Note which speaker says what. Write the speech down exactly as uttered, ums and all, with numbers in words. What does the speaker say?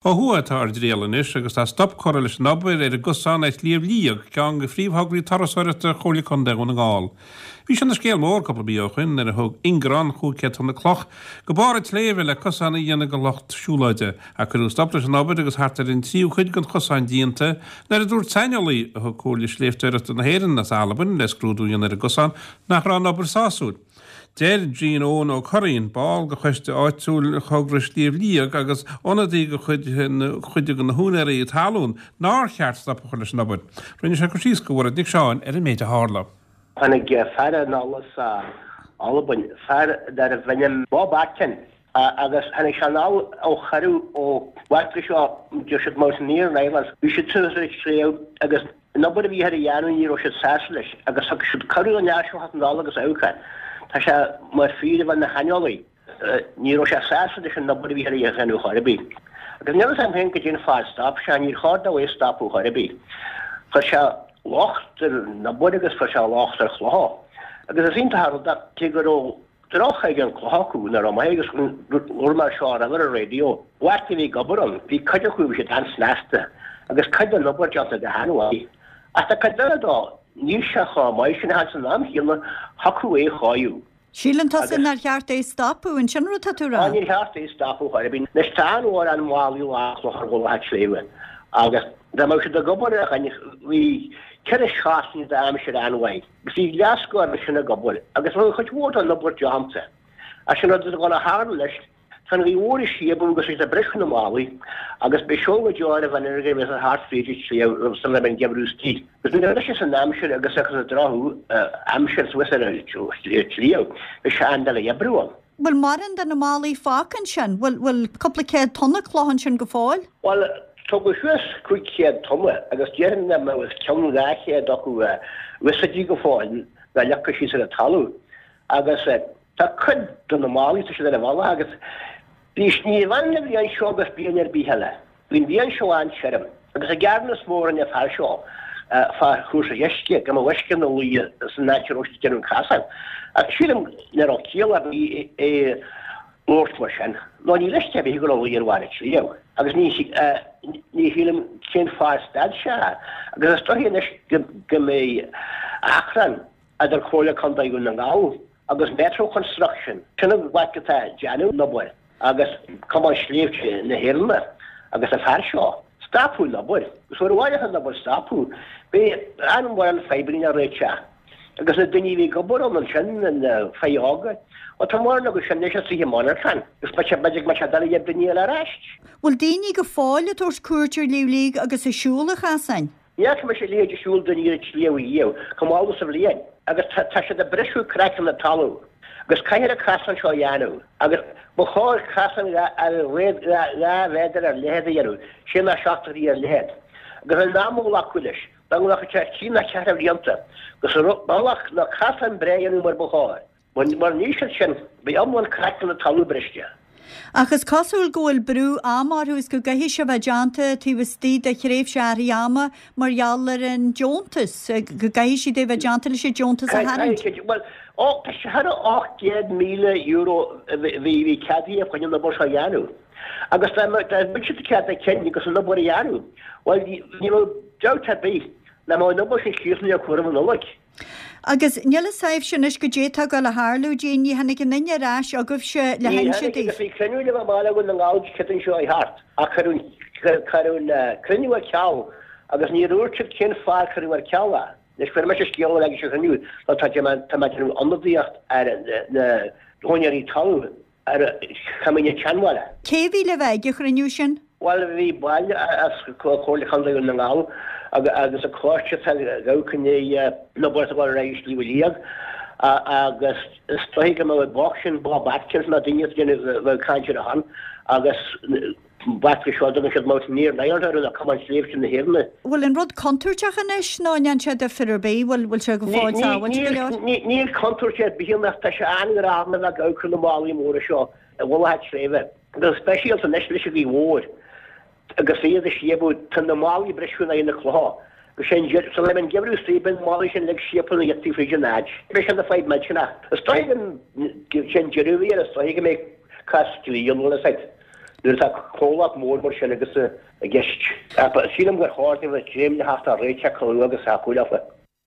Speaker 1: Ó thuaidh atá ár dtriall anois agus tá stop curtha leis an obair ar an gcosán ar Shliabh Liag, ceann de phríomhthograí turasóireachta Chomhairle Contae Dhún na nGall. Bhí sé ina scéal mór cúpla mí ó shin nuair a thug ingearán cúig chéad tonna cloch go barr an tsléibhe le cosán a dhéanamh do lucht siúlóide. Ach cuireadh stop leis an obair agus thart ar an tríú cuid den chosán déanta nuair a dúirt saineolaí a thug Comhairle Sléibhteoireachta na hÉireann as Albain le scrúdú a dhéanamh ar an gcosán nach raibh an obair sásúil. Deir Jean Eoin Ó Curraoin, ball de choiste áitiúil thogra Shliabh Liag agus ionadaí de chuid chuid de na húinéirí talún nár cheart stop a chur leis an obair. Rinne sé cur síos do Mhairéad Nic Seáin ar an méid a tharla.
Speaker 2: Tháinig fear anall as Albain, fear darbh ainm Bob Atkin, agus tháinig sé anall ó chuireadh ó bhfactory seo, deir siad Mountaineering Ireland. Bhí siad suas ar an sliabh agus an obair a bhí ar a dhéanamh ní raibh siad sásta leis agus thug siad cuireadh don fhear seo theacht anall agus amharc air. Tá sé mar fear a bheith ina shaineolaí. Ní raibh sé sásta leis an obair a bhí ar a dhéanamh chor ar bith. Agus níl a fhios agam féin goidé an fáth ar stop sé, níor chóir dó é a stopadh chor ar bith. Chuir sé locht ar an obair agus chuir sé locht ar chlocha. Agus is iontach an rud é cé go raibh droch-chaighdeán clocha acu nach raibh maith agus labhair mé seo roimhe ar an raidió. Lucht a bhí ag obair ann, bhí cuid acu bhí siad an-snasta agus cuid den obair déanta go han-mhaith. Ach tá cuid eile dó, níl sé chomh maith sin ach san am chéanna thiocfadh é a chóiriú.
Speaker 3: Síleann tusa nár cheart é a stopadh, an sin rud atá tú a rá?
Speaker 2: Á, níor cheart é a stopadh chor ar bith. Anois tá an-mhórán málaí lán cloch ar mhullach an tsléibhe agus dá mbeadh siad ag obair ar a bhí ceithre seachtaine d'aimsir an-mhaith agus bhí leathscór ansin ag obair agus bhí cuid mhór den obair déanta. Ach sin rud atá ag dul a tharlú leis, tá an ghaoth mhór ag síobadh agus tá siad ag briseadh na málaí agus beidh seol go deo ar an bhfear a bheas thart fríd an tsliabh sula mbeidh an geimhreadh istigh. Agus nuair a bhrisfeas an aimsir agus agus an droch-aimsir suas ar an tsliabh, beidh sé an-doiligh oibriú ann.
Speaker 3: Bhfuil mórán de na málaí fágtha ansin? Bhfuil bhfuil cúpla céad tonna cloch ansin go fóill?
Speaker 2: Bhuel, tugadh suas cúig chéad tonna agus déarfainn nach mbeadh os cionn dhá chéad acu úsáidte go fóill ná leagtha síos ar an talamh. Agus tá cuid de na málaí, tá siad ar an bhealach agus bhí, ní bhaineann an bhliain seo agus bliain ar bith eile. Bhí an bhliain seo an-tirim agus an gearán is mó a rinne an fear seo fá chúrsaí uisce, go mbeadh uisce ina luí san áit a raibh siad ag déanamh an chasáin. Ach sílim nach raibh ciall ar bith é labhairt mar sin, nó níl uisce ar bith ag dul a luí ar bharr an tsléibhe agus ní ní shílim cén fáth ar stad sé. Agus is dóichí anois go mbeidh achrann idir Comhairle Contae Dhún na nGall agus Metro Construction, sin an bhaic atá ag déanamh an obair. agus Cumann Sléibhte na hÉireann agus an fear seo. Stopadh an obair. Agus uair amháin an obair stopadh, beidh an-mhórán fadhbanna le réiteach. Agus na daoine a bhí ag obair ann ansin, na fir óga, bhuel tá mórán acu sin anois istigh i monarchan agus b'fhéidir go mbeadh sé doiligh ar daoine eile ar ais.
Speaker 3: Bhfuil daoine go fóill ag tabhairt cuairt ar Shliabh Liag agus ag siúl an chasáin?
Speaker 2: Ní fhaca mise a leithéid de siúl daoine ar an tsliabh riamh, chomh mall sa bhliain, agus tá siad ag briseadh craiceann na talún, agus caithfear an casán seo a dhéanamh, agus ba chóir casán ar a laghad dhá mhéadar ar leithead a dhéanamh, sé nó seacht dtroigh ar leithead, agus an am a ghlacadh leis, dá nglacfadh sé trí nó ceithre bhlianta, agus bealach nó casán breá a dhéanamh mar ba chóir. Mura ndéanfaidh siad sin, beidh iomlán craiceann na talún briste.
Speaker 3: Ach is cosúil go bhfuil brú ama orthu is go gcaithfidh sé bheith déanta taobh istigh de thréimhse áirithe ama mar gheall ar an deontas, go gcaithfidh siad é bheith déanta leis an deontas a tharraingt.
Speaker 2: Caithfidh siad. Bhuel, tá sé thar ocht gcéad míle euro a bhí ceadaithe chun an obair seo a dhéanamh. Agus dá mbeadh siad cead a cinn agus an obair a dhéanamh, bhuel, ní raibh dabht ar bith nach mbeadh an obair sin críochnaithe roimh an Nollaig.
Speaker 3: Agus níl fhios a'ibhse anois goidé atá ag dul a tharlú, Jean, ní tháinig aon duine ar ais chugaibhse le
Speaker 2: Ní
Speaker 3: hinse
Speaker 2: tháinig
Speaker 3: daoibh.
Speaker 2: agus bhí cruinniú le bheith i mBaile Dhún na nGall Dé Céadaoin seo chuaigh thart ach cuireadh cuireadh an cruinniú ar ceal agus níor dhúirt siad cén fáth ar cuireadh ar ceal é. Anois fuair mise scéal a bheith ag an chruinniú nó tá tá mé ag déanamh ionadaíocht ar na húinéirí talún ar Choimín an tSeanbhaile.
Speaker 3: Cé a bhí le bheith ag an chruinniú sin?
Speaker 2: Bhuel, bhí baill as Comhairle Chontae Dhún na nGall agus an coiste atá ag amharc i ndiaidh na obair atá ag dul ar aghaidh i Sliabh Liag agus is dóichí go mbeadh an boc sin, Bob Atkins, nó duine a bheadh ag caint ar a shon agus b'fhéidir seo a dtugann siad Mountaineering Ireland orthu nó Cumann Sléibhte na hÉireann.
Speaker 3: Bhfuil an rud contúirteach anois nó an ndéanann sé difear ar bith? Bhfuil bhfuil sé go fóill sábháilte go leor?
Speaker 2: Níl contúirt ar bith ann ach tá sé an-ghránna a bheith ag amharc ar na málaí móra seo i bhfolach an tsléibhe. Go speisialta anois leis an ghaoth mhór agus iad ag síobadh, tá na málaí ag briseadh in aghaidh na clocha. Agus sé an deireadh, sula mbeidh an geimhreadh istigh, beidh na málaí sin uilig síobtha ina ghiotaí fríd an áit. Beidh sé ina fadhb millteanach. Is dóigh go, sé an deireadh a bhí air, is dóigh go mbeidh cás dlí ann, bhfuil fhios agat. nuair atá comhlacht mór mar sin agus i gceist. Sílim gur chóir dóibh dréim le theacht ar réiteach go luath agus thapúil leofa.